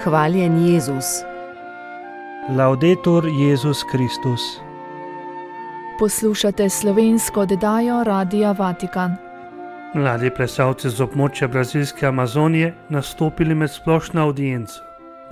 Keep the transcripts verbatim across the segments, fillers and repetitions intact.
Hvaljen Jezus. Laudetur Jezus Kristus. Poslušate slovensko oddajo Radia Vatikan. Mladi plesalci z območja brazilske Amazonije nastopili med splošno audienco.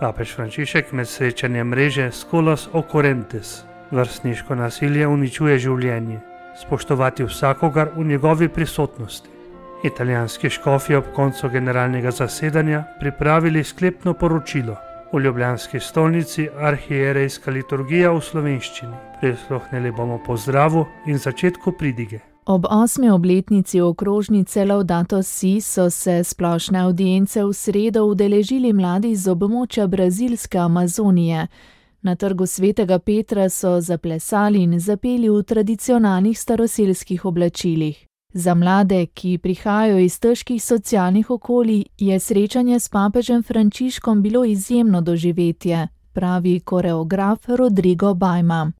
Papež Frančišek med srečanjem mreže Scholas Occurrentes. Vrstniško nasilje uničuje življenje. Spoštovati vsakogar v njegovi prisotnosti. Italijanski škofje ob koncu generalnega zasedanja pripravili sklepno poročilo. V ljubljanski stolnici arhierejska liturgija v slovenščini. Prisluhnili bomo pozdravu in začetku pridige. Ob osmi obletnici okrožnice Laudato Si so se splošne audience v sredo udeležili mladi z območja brazilske Amazonije. Na trgu svetega Petra so zaplesali in zapeli v tradicionalnih staroselskih oblačilih. Za mlade, ki prihajajo iz težkih socialnih okolij, je srečanje s papežem Frančiškom bilo izjemno doživetje, pravi koreograf Rodrigo Bajma.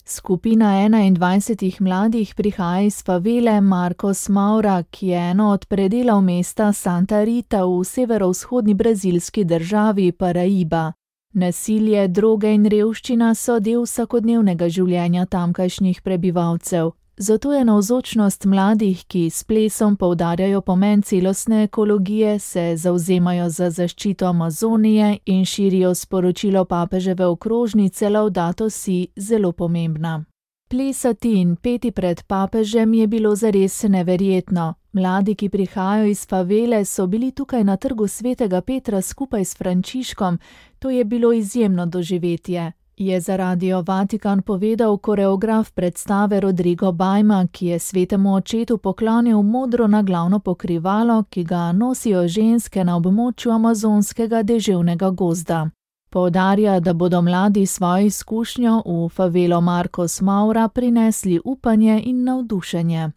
Skupina enaindvajsetih mladih prihaja iz favele Marcos Maura, ki je eno od predelov mesta Santa Rita v severovzhodni brazilski državi Paraiba. Nasilje, droge in revščina so del vsakodnevnega življenja tamkajšnjih prebivalcev. Zato je navzočnost mladih, ki s plesom poudarjajo pomen celostne ekologije, se zavzemajo za zaščito Amazonije in širijo sporočilo papeževe okrožnice Laudato Si, zelo pomembna. Plesati in peti pred papežem je bilo zares neverjetno. Mladi, ki prihajajo iz favele, so bili tukaj na trgu svetega Petra skupaj s Frančiškom. To je bilo izjemno doživetje, je za Radio Vatikan povedal koreograf predstave Rodrigo Bajma, ki je svetemu očetu poklonil modro naglavno pokrivalo, ki ga nosijo ženske na območju amazonskega deževnega gozda. Poudarja, da bodo mladi svojo izkušnjo v favelo Marcos Maura prinesli upanje in navdušenje.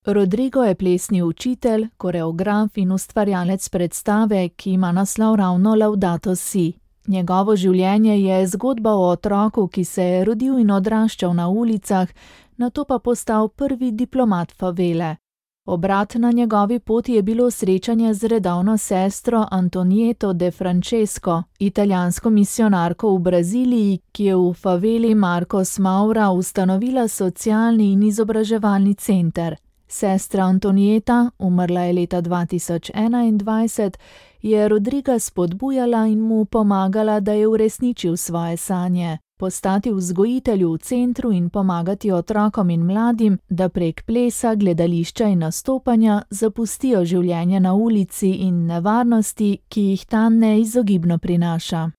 Rodrigo je plesni učitelj, koreograf in ustvarjalec predstave, ki ima naslov ravno Laudato Si. Njegovo življenje je zgodba o otroku, ki se je rodil in odraščal na ulicah, nato pa postal prvi diplomat favele. Obrat na njegovi poti je bilo srečanje z redovno sestro Antonieto de Francesco, italijansko misijonarko v Braziliji, ki je v faveli Marcos Maura ustanovila socialni in izobraževalni center. Sestra Antonieta, umrla je leta dva tisoč enaindvajset, je Rodriga spodbujala in mu pomagala, da je uresničil svoje sanje. Postati vzgojitelj v centru in pomagati otrokom in mladim, da prek plesa, gledališča in nastopanja zapustijo življenje na ulici in nevarnosti, ki jih ta neizogibno prinaša.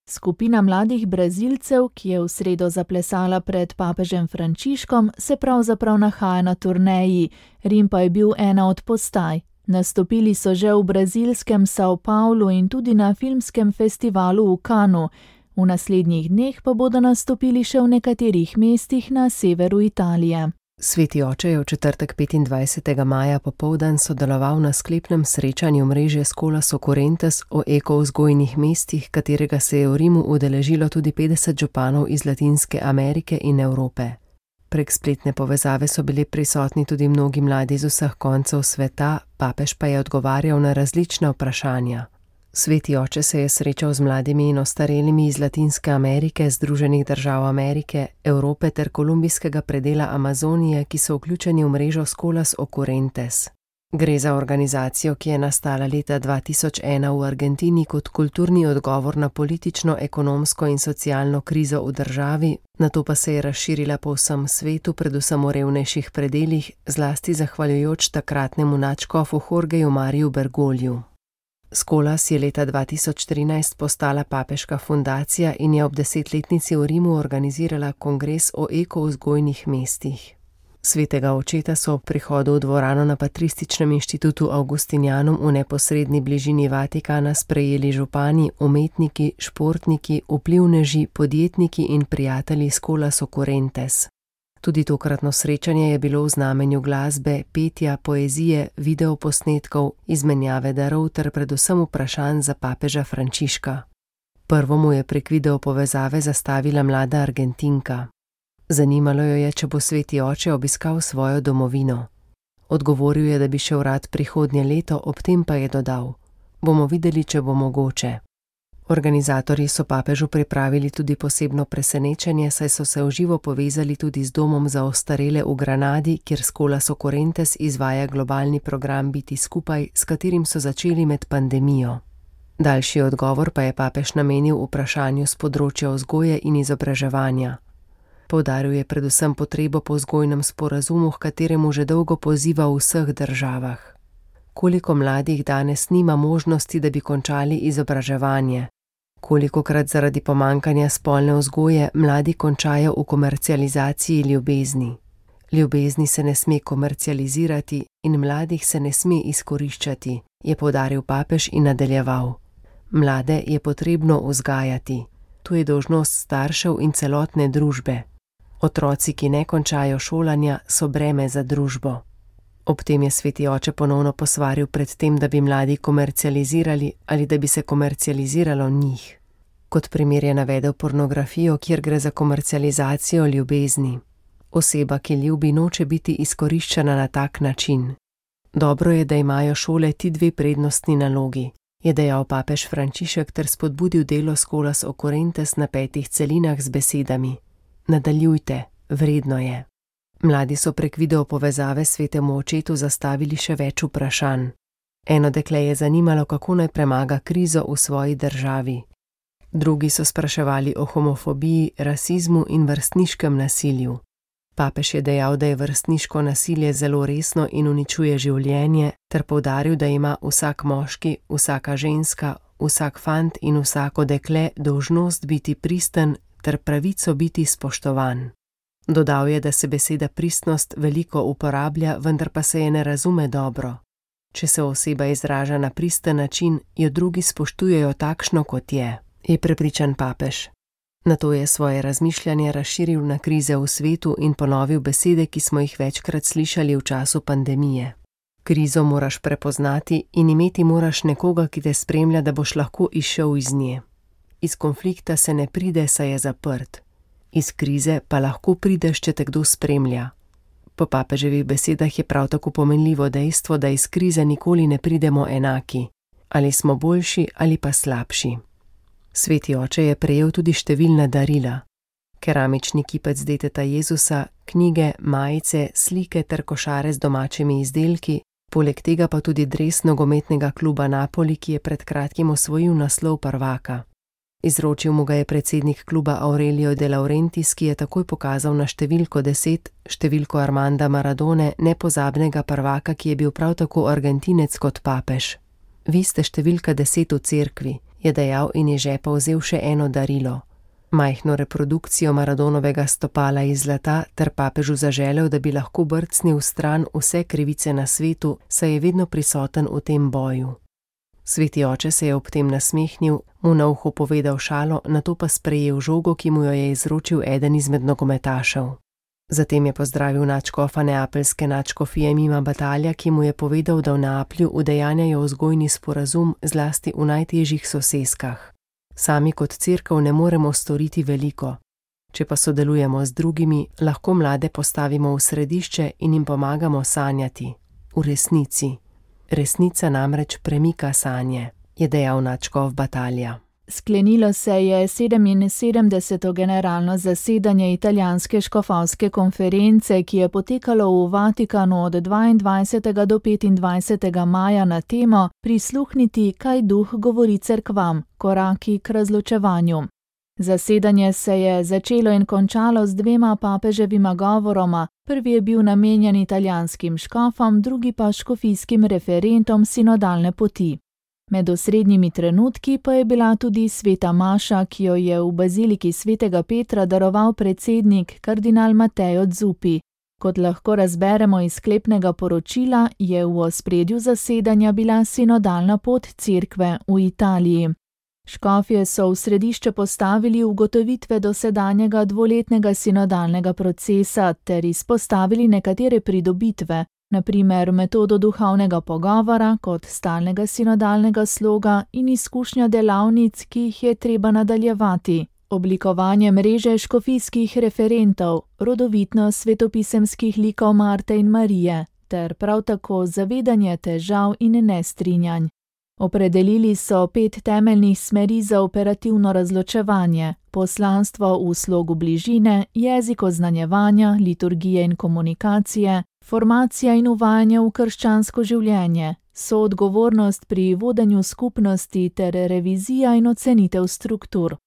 Skupina mladih Brazilcev, ki je v sredo zaplesala pred papežem Frančiškom, se pravzaprav nahaja na turneji, Rim pa je bil ena od postaj. Nastopili so že v brazilskem São Paulo in tudi na filmskem festivalu v Cannesu. V naslednjih dneh pa bodo nastopili še v nekaterih mestih na severu Italije. Sveti oče je v četrtek petindvajsetega maja popoldan sodeloval na sklepnem srečanju mreže Scholas Occurrentes o ekovzgojnih mestih, katerega se je v Rimu udeležilo tudi petdeset županov iz Latinske Amerike in Evrope. Prek spletne povezave so bili prisotni tudi mnogi mladi z vseh koncev sveta, papež pa je odgovarjal na različna vprašanja. Sveti oče se je srečal z mladimi in ostarelimi iz Latinske Amerike, Združenih držav Amerike, Evrope ter kolumbijskega predela Amazonije, ki so vključeni v mrežo Scholas Occurrentes. Gre za organizacijo, ki je nastala leta dva tisoč ena v Argentini kot kulturni odgovor na politično, ekonomsko in socialno krizo v državi, nato pa se je razširila po vsem svetu, predvsem v revnejših predelih, zlasti zahvaljujoč takratnemu nadškofu Jorgeju Mariju Bergogliju. Scholas je leta dva tisoč trinajst postala papeška fundacija in je ob desetletnici v Rimu organizirala kongres o ekovzgojnih mestih. Svetega očeta so ob prihodu v dvorano na Patrističnem inštitutu Augustinianum v neposredni bližini Vatikana sprejeli župani, umetniki, športniki, vplivneži, podjetniki in prijatelji Scholas Occurrentes. Tudi tokratno srečanje je bilo v znamenju glasbe, petja, poezije, videoposnetkov, izmenjave darov ter predvsem vprašanj za papeža Frančiška. Prvo mu je prek videopovezave zastavila mlada Argentinka. Zanimalo jo je, če bo sveti oče obiskal svojo domovino. Odgovoril je, da bi šel rad prihodnje leto, ob tem pa je dodal: bomo videli, če bo mogoče. Organizatorji so papežu pripravili tudi posebno presenečenje, saj so se v živo povezali tudi z domom za ostarele v Granadi, kjer Scholas Occurrentes izvaja globalni program Biti skupaj, s katerim so začeli med pandemijo. Daljši odgovor pa je papež namenil vprašanju z področja vzgoje in izobraževanja. Poudaril je predvsem potrebo po vzgojnem sporazumu, h kateremu že dolgo poziva v vseh državah. Koliko mladih danes nima možnosti, da bi končali izobraževanje? Kolikokrat zaradi pomankanja spolne vzgoje mladi končajo v komercializaciji ljubezni? Ljubezni se ne sme komercializirati in mladih se ne sme izkoriščati, je poudaril papež in nadaljeval. Mlade je potrebno vzgajati. To je dolžnost staršev in celotne družbe. Otroci, ki ne končajo šolanja, so breme za družbo. Ob tem je sveti oče ponovno posvaril pred tem, da bi mladi komercializirali ali da bi se komercializiralo njih. Kot primer je navedel pornografijo, kjer gre za komercializacijo ljubezni. Oseba, ki ljubi, noče biti izkoriščena na tak način. Dobro je, da imajo šole ti dve prednostni nalogi, je dejal papež Frančišek ter spodbudil delo Scholas Occurrentes na petih celinah z besedami: Nadaljujte, vredno je. Mladi so prek video povezave svetemu očetu zastavili še več vprašanj. Eno dekle je zanimalo, kako naj premaga krizo v svoji državi. Drugi so spraševali o homofobiji, rasizmu in vrstniškem nasilju. Papež je dejal, da je vrstniško nasilje zelo resno in uničuje življenje, ter poudaril, da ima vsak moški, vsaka ženska, vsak fant in vsako dekle dolžnost biti pristen ter pravico biti spoštovan. Dodal je, da se beseda pristnost veliko uporablja, vendar pa se je ne razume dobro. Če se oseba izraža na pristen način, jo drugi spoštujejo takšno, kot je, je prepričan papež. Nato je svoje razmišljanje razširil na krize v svetu in ponovil besede, ki smo jih večkrat slišali v času pandemije. Krizo moraš prepoznati in imeti moraš nekoga, ki te spremlja, da boš lahko izšel iz nje. Iz konflikta se ne pride, saj je zaprt. Iz krize pa lahko prideš, če te kdo spremlja. Po papeževih besedah je prav tako pomenljivo dejstvo, da iz krize nikoli ne pridemo enaki. Ali smo boljši ali pa slabši. Sveti oče je prejel tudi številna darila. Keramični kipec deteta Jezusa, knjige, majice, slike ter košare z domačimi izdelki, poleg tega pa tudi dres nogometnega kluba Napoli, ki je pred kratkim osvojil naslov prvaka. Izročil mu ga je predsednik kluba Aurelio De Laurentiis, ki je takoj pokazal na številko deset, številko Armanda Maradone, nepozabnega prvaka, ki je bil prav tako Argentinec kot papež. Vi ste številka deset v cerkvi, je dejal in iz žepa vzel še eno darilo. Majhno reprodukcijo Maradonovega stopala iz zlata ter papežu zaželel, da bi lahko brcnil stran vse krivice na svetu, saj je vedno prisoten v tem boju. Sveti oče se je ob tem nasmehnil, mu na uho povedal šalo, nato pa sprejel žogo, ki mu jo je izročil eden izmed nogometašev. Zatem je pozdravil nadškofa neapeljske nadškofije Mima Batalja, ki mu je povedal, da v Neaplju udejanjajo vzgojni sporazum zlasti v najtežjih soseskah. Sami kot cerkev ne moremo storiti veliko. Če pa sodelujemo z drugimi, lahko mlade postavimo v središče in jim pomagamo sanjati. V resnici. Resnica namreč premika sanje, je dejal nadškof Batalja. Sklenilo se je sedeminsedemdeseto generalno zasedanje italijanske škofovske konference, ki je potekalo v Vatikanu od dvaindvajsetega do petindvajsetega maja na temo Prisluhniti, kaj duh govori cerkvam, koraki k razločevanju. Zasedanje se je začelo in končalo z dvema papeževima govoroma, prvi je bil namenjen italijanskim škofom, drugi pa škofijskim referentom sinodalne poti. Med osrednjimi trenutki pa je bila tudi sveta maša, ki jo je v baziliki svetega Petra daroval predsednik kardinal Mateo Zuppi. Kot lahko razberemo iz sklepnega poročila, je v ospredju zasedanja bila sinodalna pot cerkve v Italiji. Škofje so v središče postavili ugotovitve dosedanjega dvoletnega sinodalnega procesa ter izpostavili nekatere pridobitve, na primer metodo duhovnega pogovora kot stalnega sinodalnega sloga in izkušnja delavnic, ki jih je treba nadaljevati, oblikovanje mreže škofijskih referentov, rodovitnost svetopisemskih likov Marte in Marije ter prav tako zavedanje težav in nestrinjanj. Opredelili so pet temeljnih smeri za operativno razločevanje: poslanstvo v slogu bližine, jezik oznanjevanja, liturgije in komunikacije, formacija in uvajanje v krščansko življenje, soodgovornost pri vodenju skupnosti ter revizija in ocenitev struktur.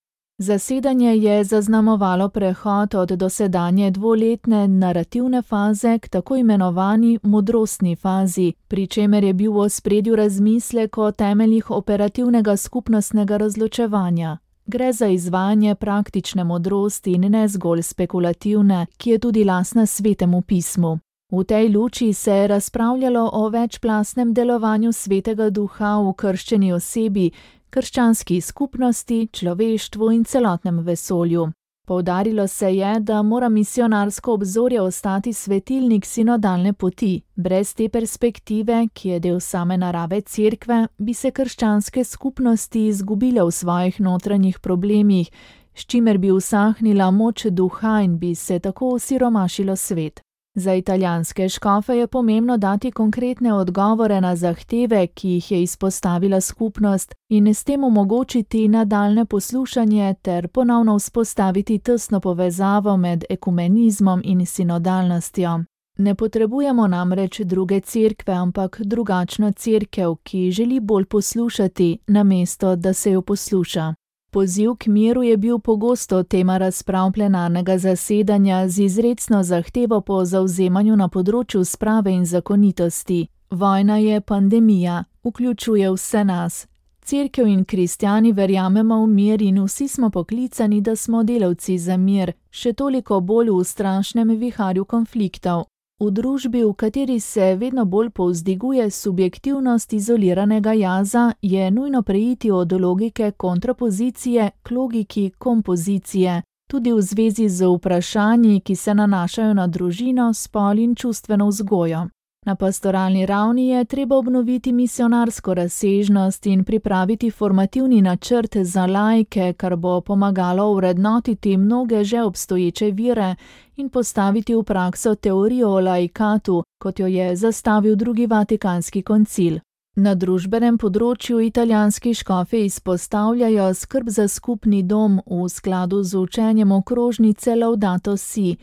Zasedanje je zaznamovalo prehod od dosedanje dvoletne narativne faze k tako imenovani modrostni fazi, pri čemer je bil v ospredju razmislek o temeljih operativnega skupnostnega razločevanja. Gre za izvajanje praktične modrosti in ne zgolj spekulativne, ki je tudi lastna Svetemu pismu. V tej luči se je razpravljalo o večplastnem delovanju Svetega Duha v krščeni osebi, krščanski skupnosti, človeštvu in celotnem vesolju. Poudarilo se je, da mora misionarsko obzorje ostati svetilnik sinodalne poti. Brez te perspektive, ki je del same narave Cerkve, bi se krščanske skupnosti izgubile v svojih notranjih problemih, s čimer bi usahnila moč duha in bi se tako osiromašilo svet. Za italijanske škofe je pomembno dati konkretne odgovore na zahteve, ki jih je izpostavila skupnost, in s tem omogočiti nadaljne poslušanje ter ponovno vzpostaviti tesno povezavo med ekumenizmom in sinodalnostjo. Ne potrebujemo namreč druge cerkve, ampak drugačno cerkev, ki želi bolj poslušati, namesto da se jo posluša. Poziv k miru je bil pogosto tema razprav plenarnega zasedanja z izrecno zahtevo po zavzemanju na področju sprave in zakonitosti. Vojna je pandemija, vključuje vse nas. Cerkev in kristjani verjamemo v mir in vsi smo poklicani, da smo delavci za mir, še toliko bolj v strašnem viharju konfliktov. V družbi, v kateri se vedno bolj povzdiguje subjektivnost izoliranega jaza, je nujno preiti od logike kontrapozicije k logiki kompozicije, tudi v zvezi z vprašanji, ki se nanašajo na družino, spol in čustveno vzgojo. Na pastoralni ravni je treba obnoviti misionarsko razsežnost in pripraviti formativni načrt za laike, kar bo pomagalo vrednotiti mnoge že obstoječe vire in postaviti v prakso teorijo o laikatu, kot jo je zastavil drugi Vatikanski koncil. Na družbenem področju italijanski škofi izpostavljajo skrb za skupni dom v skladu z učenjem okrožnice Laudato Si,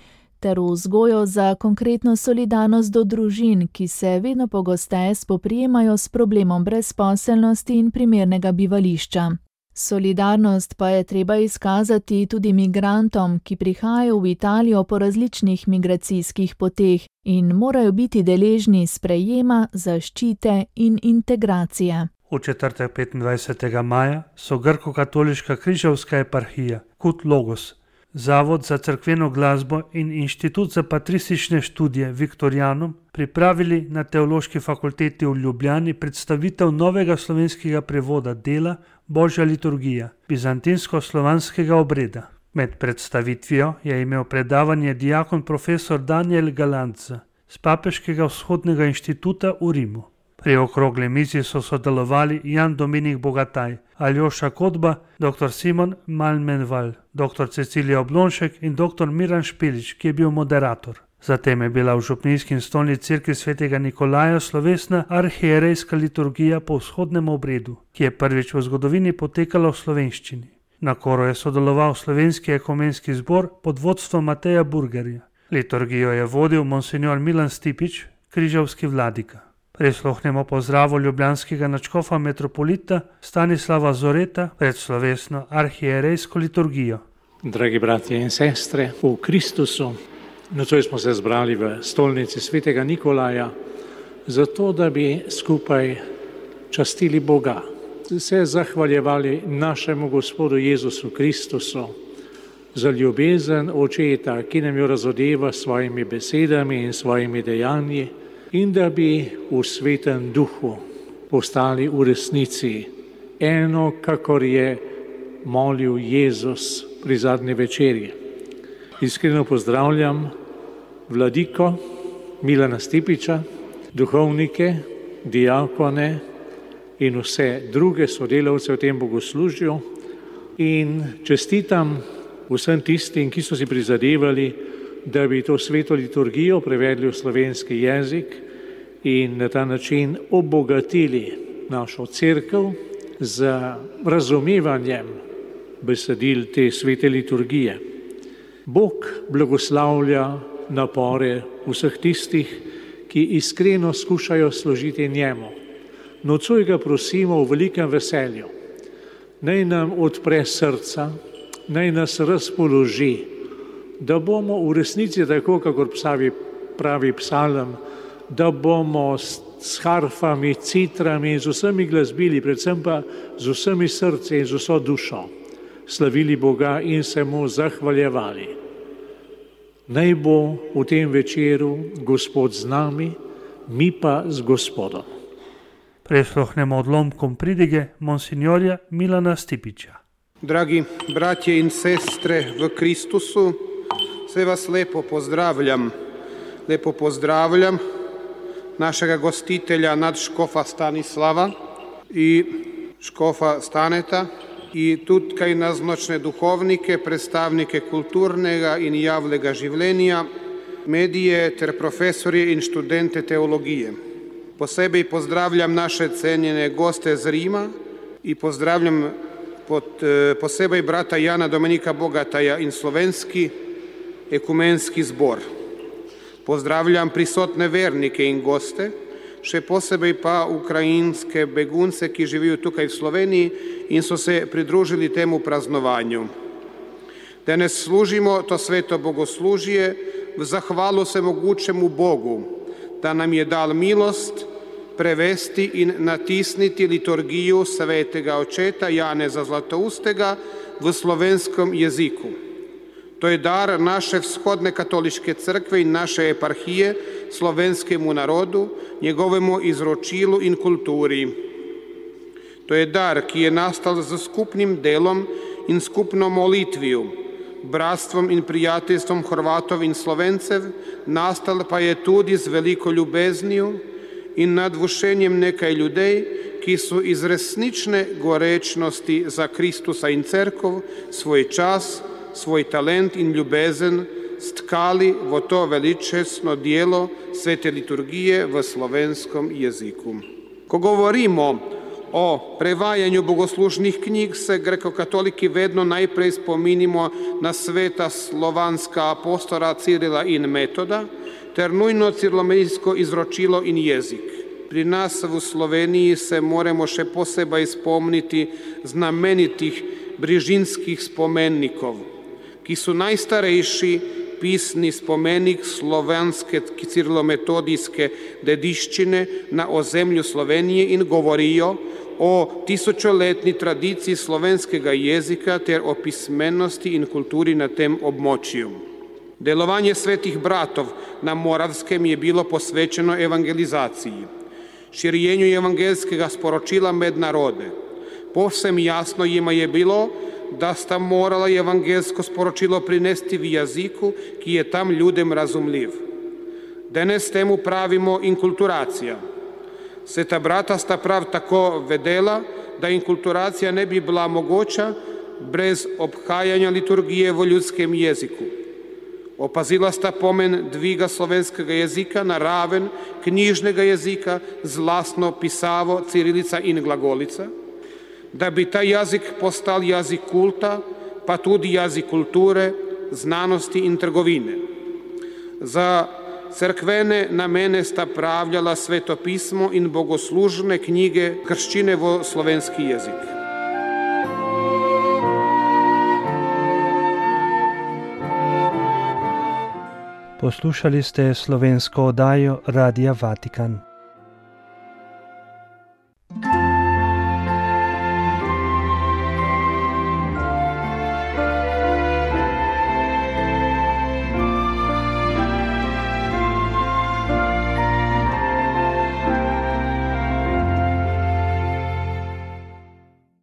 ter vzgojo za konkretno solidarnost do družin, ki se vedno pogosteje spoprijemajo s problemom brezposelnosti in primernega bivališča. Solidarnost pa je treba izkazati tudi migrantom, ki prihajajo v Italijo po različnih migracijskih poteh in morajo biti deležni sprejema, zaščite in integracije. V četrtek petindvajsetega maja so grko-katoliška križevska eparhija Kut Logos, Zavod za cerkveno glasbo in Inštitut za patristične študije Viktorijanum pripravili na Teološki fakulteti v Ljubljani predstavitev novega slovenskega prevoda dela Božja liturgija, bizantinsko-slovanskega obreda. Med predstavitvijo je imel predavanje diakon profesor Daniel Galanza z Papeškega vzhodnega inštituta v Rimu. Pri okrogli mizi so sodelovali Jan Dominik Bogataj, Aljoša Kodba, doktor Simon Malmenval, doktor Cecilija Oblonšek in doktor Miran Špelič, ki je bil moderator. Zatem je bila v župnijski in stolni cerkvi svetega Nikolaja slovesna arhierejska liturgija po vzhodnem obredu, ki je prvič v zgodovini potekala v slovenščini. Na koru je sodeloval slovenski ekumenski zbor pod vodstvom Mateja Burgerja. Liturgijo je vodil monsignor Milan Stipič, križevski vladika. Prisluhnemo pozdravu ljubljanskega nadškofa metropolita Stanislava Zoreta pred slovesno arhierejsko liturgijo. Dragi bratje in sestre, v Kristusu, nocoj smo se zbrali v stolnici svetega Nikolaja, zato da bi skupaj častili Boga, se zahvaljevali našemu Gospodu Jezusu Kristusu za ljubezen Očeta, ki nam jo razodeva s svojimi besedami in svojimi dejanji, in da bi v svetem duhu postali v resnici eno, kakor je molil Jezus pri zadnji večerji. Iskreno pozdravljam vladiko Milana Stipiča, duhovnike, diakone in vse druge sodelavce v tem bogoslužju in čestitam vsem tistim, ki so si prizadevali, da bi to sveto liturgijo prevedli v slovenski jezik in na ta način obogatili našo cerkev z razumevanjem besedil te svete liturgije. Bog blagoslavlja napore vseh tistih, ki iskreno skušajo služiti njemu. Nocoj ga prosimo v velikem veselju. Naj nam odpre srca, naj nas razpoloži, da bomo v resnici, tako kakor pravi, pravi psalm, da bomo s harfami, citrami in z vsemi glasbili, predvsem pa z vsemi srci in z vso dušo slavili Boga in se mu zahvaljevali. Naj bo v tem večeru Gospod z nami, mi pa z Gospodom. Prisluhnemo odlomkom pridige monsignorja Milana Stipića. Dragi bratje in sestre v Kristusu, sve vas lepo pozdravljam. Lepo pozdravljam našega gostitelja nadškofa Stanislava i škofa Staneta i tutkaj nazočne duhovnike, predstavnike kulturnega in javnega življenja, medije ter profesorje in študente teologije. Posebej pozdravljam naše cenjene goste z Rima i pozdravljam pod, posebej brata Jana Dominika Bogataja in slovenski ekumenski zbor. Pozdravljam prisotne vernike in goste, še posebej pa ukrajinske begunce, ki živijo tukaj v Sloveniji in so se pridružili temu praznovanju. Danes služimo to sveto bogoslužje v zahvalu vsemogućemu Bogu, da nam je dal milost prevesti in natisniti liturgiju svetega očeta Janeza Zlatoustega v slovenskom jeziku. To je dar naše vzhodne katoliške crkve in naše eparhije slovenskemu narodu, njegovemu izročilu in kulturi. To je dar, ki je nastal z skupnim delom in skupno molitvijo, bratstvom in prijateljstvom Hrvatov in Slovencev, nastal pa je tudi z veliko ljubeznijo in nadvušenjem nekaj ljudej, ki so iz resnične gorečnosti za Kristusa in cerkov svoj čas, svoj talent in ljubezen stkali v to veličastno djelo svete liturgije v slovenskom jeziku. Ko govorimo o prevajanju bogoslužnih knjig, se grekokatoliki vedno najprej spominimo na sveta slovanska apostola Cirila in Metoda, ter nujno cirlomedijsko izročilo in jezik. Pri nas v Sloveniji se moramo še posebej spomniti znamenitih brižinskih spomennikov, ki so najstarejši pisni spomenik slovenske cirlometodijske dediščine na ozemlju Slovenije in govorijo o tisočoletni tradiciji slovenskega jezika ter o pismenosti in kulturi na tem območju. Delovanje svetih bratov na Moravskem je bilo posvećeno evangelizaciji, širjenju evangelskega sporočila med narode. Povsem jasno jima je bilo, da sta morala evangelsko sporočilo prinesti v jeziku, ki je tam ljudem razumljiv. Danes temu pravimo inkulturacija. Sveta brata sta prav tako vedela, da inkulturacija ne bi bila mogoča brez obhajanja liturgije v ljudskem jeziku. Opazila sta pomen dviga slovenskega jezika na raven knjižnega jezika z lastno pisavo cirilica in glagolica, da bi ta jezik postal jezik kulta, pa tudi jezik kulture, znanosti in trgovine. Za crkvene namene sta pravljala svetopismo in bogoslužne knjige krščine v slovenski jezik. Poslušali ste slovensko oddajo Radia Vatikan.